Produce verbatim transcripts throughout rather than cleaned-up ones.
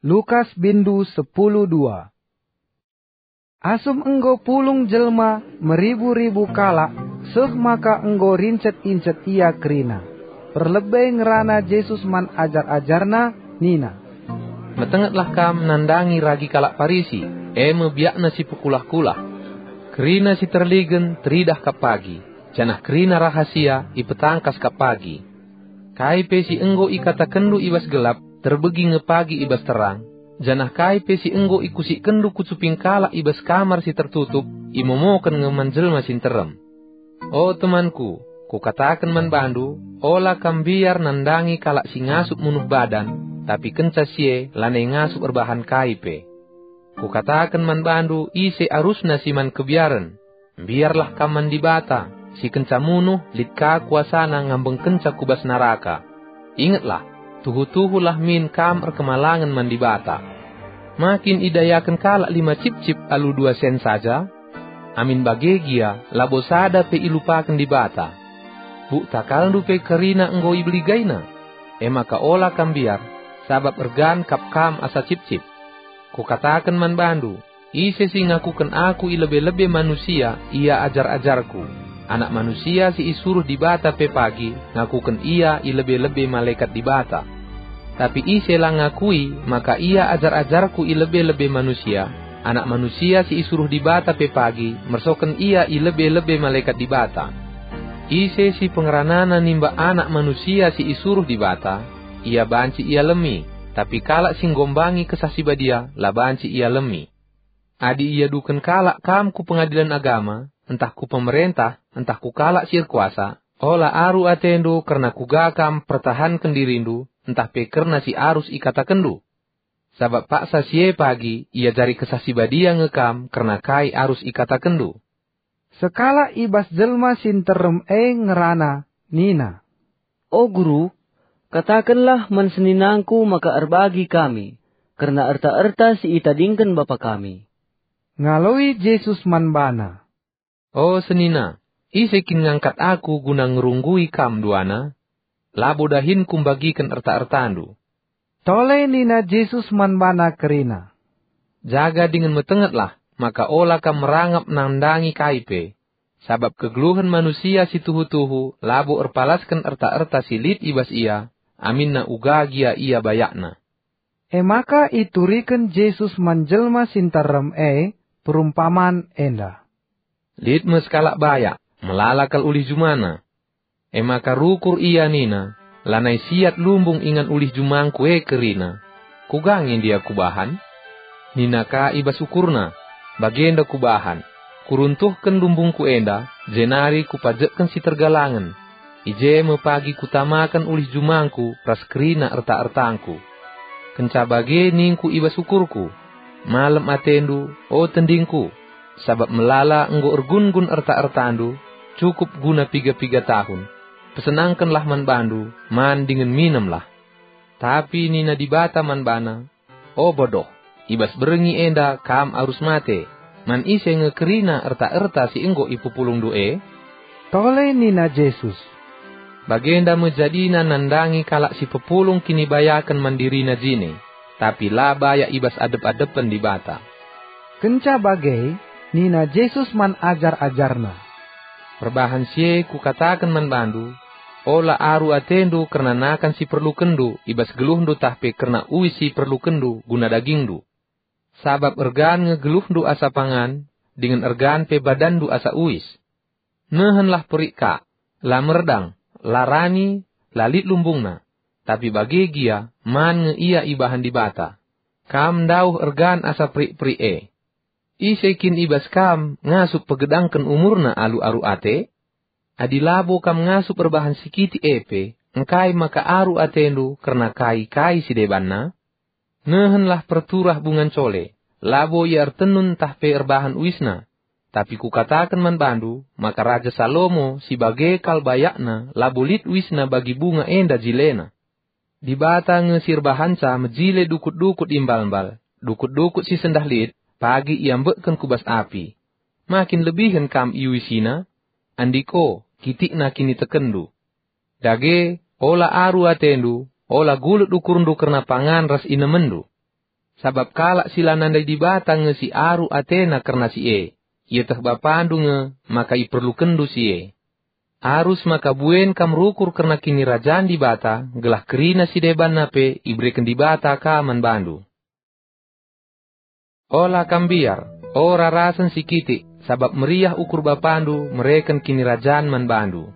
Lukas bindu sepuluh dua. Asum enggo pulung jelma meribu-ribu kalak, seh maka enggo rincet-incet ia kerina. Perlebe ngerana Jesus man ajar-ajarNa, nina, "Metengetlah kam nandangi ragi kalak Parisi, e me biakna si pekulah-kulah. Kerina si terligen teridah kap pagi, janah kerina rahasia ipetangkas kap pagi. Kai pe si enggo ikatakenndu i bas gelap, terbegi nge pagi i bas terang, janah kai pe si enggo ikusikkenndu ku cuping kalak i bas kamar si tertutup, imomoken nge man jelma si nterem." O temanku, kukataken man bandu, ola kam mbiar nandangi kalak si ngasup munuh badan, tapi kenca si e lanai ngasup erbahan kai pe. Kukataken man bandu, ise arusna si man kebiaren. Mbiarlah kam man Dibata, si kenca munuh lit ka kuasana ngambengkenca ku bas naraka. Ingetlah, tuhu-tuhulah min kam erkemalangen man Dibata. Ma kin idayaken kalak lima cipcip alu dua sen saja? Amin bage gia, labo sada pe ilupaken Dibata. Buk takalndu pe kerina enggo ibeligaina. E maka ola kam mbiar, sabap ergan kap kam asa cipcip. Kukataken man bandu, ise si ngakuken aku i lebe-lebe manusia, ia ajar-ajarku. Anak Manusia si isuruh Dibata pe pagi ngakuken ia i lebe-lebe malekat Dibata. Tapi ise la ngakui maka ia ajar-ajarku i lebe-lebe manusia, Anak Manusia si isuruh Dibata pe pagi mersoken ia i lebe-lebe malekat Dibata. Ise si pengeranana nimbak Anak Manusia si isuruh Dibata, ia banci ialemi, tapi kalak si nggombangi Kesah Si Badia la banci ialemi. Adi iaduken kalak kam ku pengadilen agama, ntah ku pemerentah, ntah ku kalak si erkuasa, ola aru atendu kerna kuga kam pertahanken dirindu, ntah pe kerna si arus ikatakenndu. Sabap paksa si e pagi iajari Kesah Si Badia nge kam kerna kai arus ikatakenndu. Sekalak i bas jelma si nterem e ngerana, nina, "O Guru, katakenlah man seninangku maka erbagi kami kerna erta-erta si itadingken bapa kami." Ngaloi Jesus man bana, "O senina, ise kin ngangkat Aku guna ngerunggui kam duana? Labo dahin Kumbagiken erta-ertandu." Tole nina Jesus man bana kerina, "Jaga dingen metengetlah, maka ola kam merangap nandangi kai pe, sabap kegeluhen manusia si tuhu-tuhu labo erpalasken erta-erta si lit i bas ia, aminna uga gia ia bayakna." E maka ituriken Jesus man jelma si nterem e perumpaman enda, "Lit me sekalak bayak, melala kal ulih jumana. E maka rukur ia nina, 'Lanai siat lumbung ingan ulih jumangku e kerina. Kuga nge ndia kubahan?' Nina ka i bas ukurna, 'Bagenda kubahan, kuruntuhken lumbungku enda, jenari kupajekken si tergalangen. I je me pagi kutamaken ulih jumangku ras kerina erta-ertangku.' Kenca bage ningku i bas ukurku, 'Malem atendu, o tendingku, sabap melala enggo ergun-gun erta-ertandu, cukup guna piga-piga tahun. Pesenangkenlah man bandu, man dingen minemlah.' Tapi nina Dibata man bana, 'O bodoh, i bas berngi enda kam arus mate. Man ise nge kerina erta-erta si enggo ipepulungndu e?'" Tole nina Jesus, "Bagenda me jadina nandangi kalak si pepulung kinibayaken man dirina jine, tapi la bayak i bas adep-adepen Dibata." Kenca bage, nina Jesus man ajar-ajarNa, "Perbahan si e Kukataken man bandu, ola aru atendu kerna nakan si perlukenndu i bas geluhndu tah pe kerna uis si perlukenndu guna dagingndu. Sabap ergan nge geluhndu asa pangan, dingen ergan pe badanndu asa uis. Nehenlah perik ka, la merdang, la rani, la lit lumbungna, tapi bage gia man nge ia ibahan Dibata. Kam ndauh ergan asa perik-perik e. Ise kin i bas kam ngasup pegedangken umurna alu aru ate? Adi labo kam ngasup erbahan si kitik e pe, engkai maka aru atendu kerna kai-kai si debanna? Nehenlah perturah bunga ncole, labo ia ertenun ntah pe erbahan uisna. Tapi Kukataken man bandu maka Raja Salomo si bage kal bayakna labo lit uisna bagi bunga enda jilena. Dibata nge si erbahanca mejile dukut-dukut imbal-mbal, dukut-dukut si sendah lit, pagi iambekken ku bas api. Ma kin lebihen kam iuisina? Andiko, kitikna kinitekenndu. Dage, ola aru atendu, ola gulut ukurndu kerna pangan ras inemenndu. sabap kalak si la nandai Dibata nge si aru atena kerna si e. Ieteh Bapandu nge maka iperlukenndu si e. Arus maka buen kam rukur kerna Kinirajan Dibata, gelah kerina si debanna pe ibereken Dibata ka man bandu. Ola kam mbiar, o rarasen si kitik, sabap meriah ukur Bapandu mereken Kinirajan man bandu.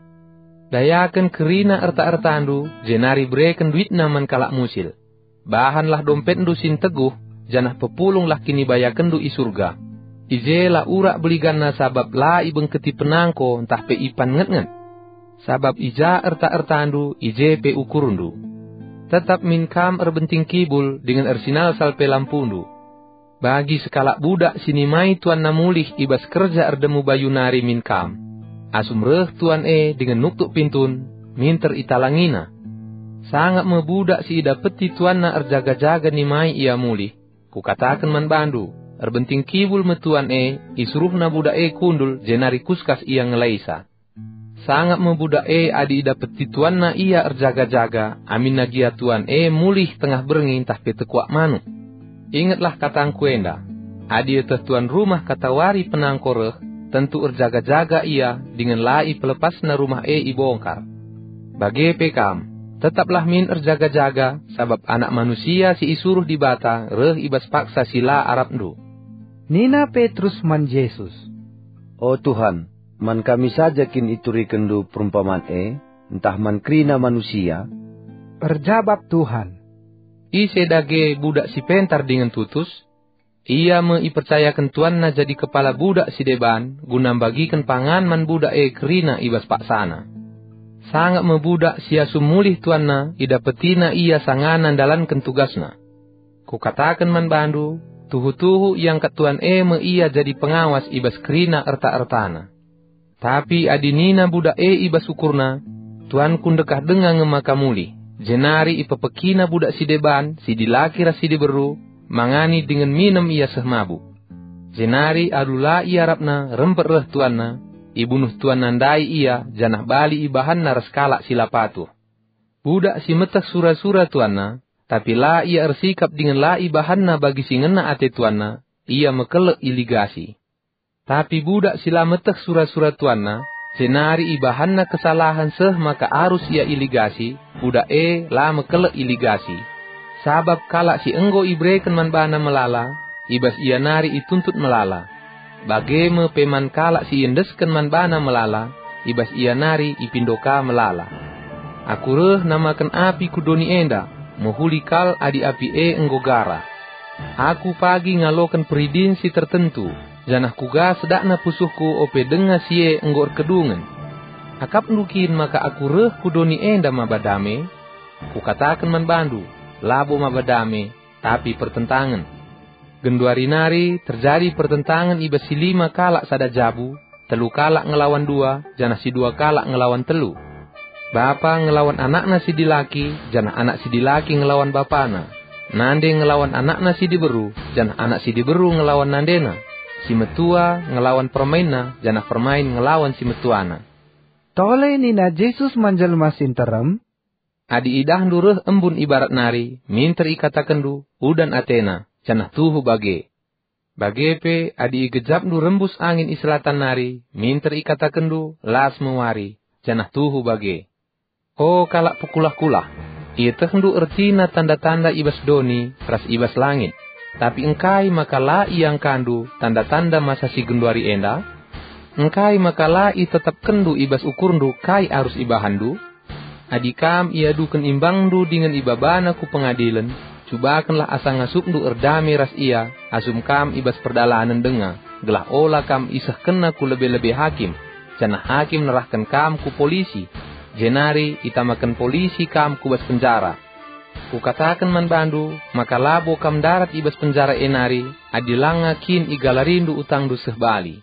Dayaken kerina erta-ertandu, jenari bereken duitna man kalak musil. Bahanlah dompetndu si nteguh, janah pepulunglah kinibayakenndu i Surga. I je la urak beliganna sabap la ibengketi penangko ntah pe ipan nget-nget. Sabap i ja erta-ertandu, i je pe ukurndu. Tetap min kam erbenting kibul dingen ersinalsal pe lampundu. Bagi sekalak budak si nimai tuanna mulih i bas kerja erdemu bayu nari min kam. Asum reh tuan e dingen nuktuk pintun, minter italangina. Sangap me budak si idapeti tuanna erjaga-jaga nimai ia mulih. Kukataken man bandu, erbenting kibul me tuan e, isuruhna budak e kundul jenari kuskas ia ngelaisa. Sangap me budak e adi idapeti tuanna ia erjaga-jaga, aminna gia tuan e mulih tengah berngi ntah pe tekuak manuk. Ingetlah katangku enda, adi ieteh tuan rumah katawari penangko reh, tentu erjaga-jaga ia dingen la ipelepasna rumah e ibongkar. Bage pe kam, tetaplah min erjaga-jaga, sabap Anak Manusia si isuruh Dibata reh i bas paksa si la arapndu. Nina Petrus man Jesus, "O Tuhan, man kami saja kin iturikenndu perumpaman e, ntah man kerina manusia?" Erjabap Tuhan, "Ise dage budak si pentar dingen tutus? Ia me ipercayaken tuanna jadi kepala budak si deban guna mbagiken pangan man budak e kerina i bas paksana. Sangap me budak si asum mulih tuanna idapetina ia sangana ndalanken tugasna. Kukataken man bandu, tuhu-tuhu iangkat tuan e me ia jadi pengawas i bas kerina erta-ertana. Tapi adi nina budak e i bas ukurna, 'Tuanku ndekah denga nge maka mulih,' jenari ipepekina budak si deban, si dilaki ras si diberu, mangani dingen minem ia seh mabuk. Jenari alu la iarapna rempet reh tuanna, ibunuh tuanna ndai ia, janah bali ibahanna ras kalak si la patuh. Budak si meteh sura-sura tuanna, tapi la ia ersikap dingen la ibahanna bagi si ngena ate tuanna, ia mekelek iligasi. Tapi budak si la meteh sura-sura tuanna, jenari ibahanna kesalahen seh maka arus ia iligasi, budak e la mekelek iligasi. Sabap kalak si enggo ibereken man bana melala, i bas ia nari ituntut melala. Bage me pe man kalak si iendesken man bana melala, i bas ia nari ipindo ka melala. Aku reh namaken api ku doni enda, mehuli kal adi api e enggo gara. Aku pagi ngaloken peridin si tertentu, janah kuga sedakna pusuhku ope denga si e enggo erkedungen. Akapndu kin maka aku reh ku doni enda maba dame? Kukataken man bandu, labo maba dame, tapi pertentangen. Genduari nari terjadi pertentangen i bas si lima kalak sada jabu, telu kalak ngelawan dua, janah si dua kalak ngelawan telu. Bapa ngelawan anakna si dilaki, janah anak si dilaki ngelawan bapana. Nande ngelawan anakna si diberu, janah anak si diberu ngelawan nandena. Si metua ngelawan permainna, janah permain ngelawan si metuana." Tole nina Jesus man jelma si nterem, "Adi idahndu reh embun i barat nari, minter ikatakenndu, 'Udan atena,' janah tuhu bage. Bage pe, adi igejapndu rembus angin i selatan nari, minter ikatakenndu, 'Las me wari,' janah tuhu bage. O kalak pekulah-kulah, ietehndu ertina tanda-tanda i bas doni ras i bas langit. Tapi engkai maka la iangkandu tanda-tanda masa si genduari enda? Engkai maka la itetapkenndu i bas ukurndu kai arus ibahanndu? Adi kam iaduken imbangndu dingen ibabana ku pengadilen, cubakenlah asa ngasupndu erdame ras ia asum kam i bas perdalanen denga, gelah ola kam isehkenna ku lebe-lebe hakim, janah hakim nerahken kam ku polisi, jenari itamaken polisi kam ku bas penjara. Kukataken man bandu maka labo kam ndarat i bas penjara e nari, adi langa kin igalarindu utangndu seh bali.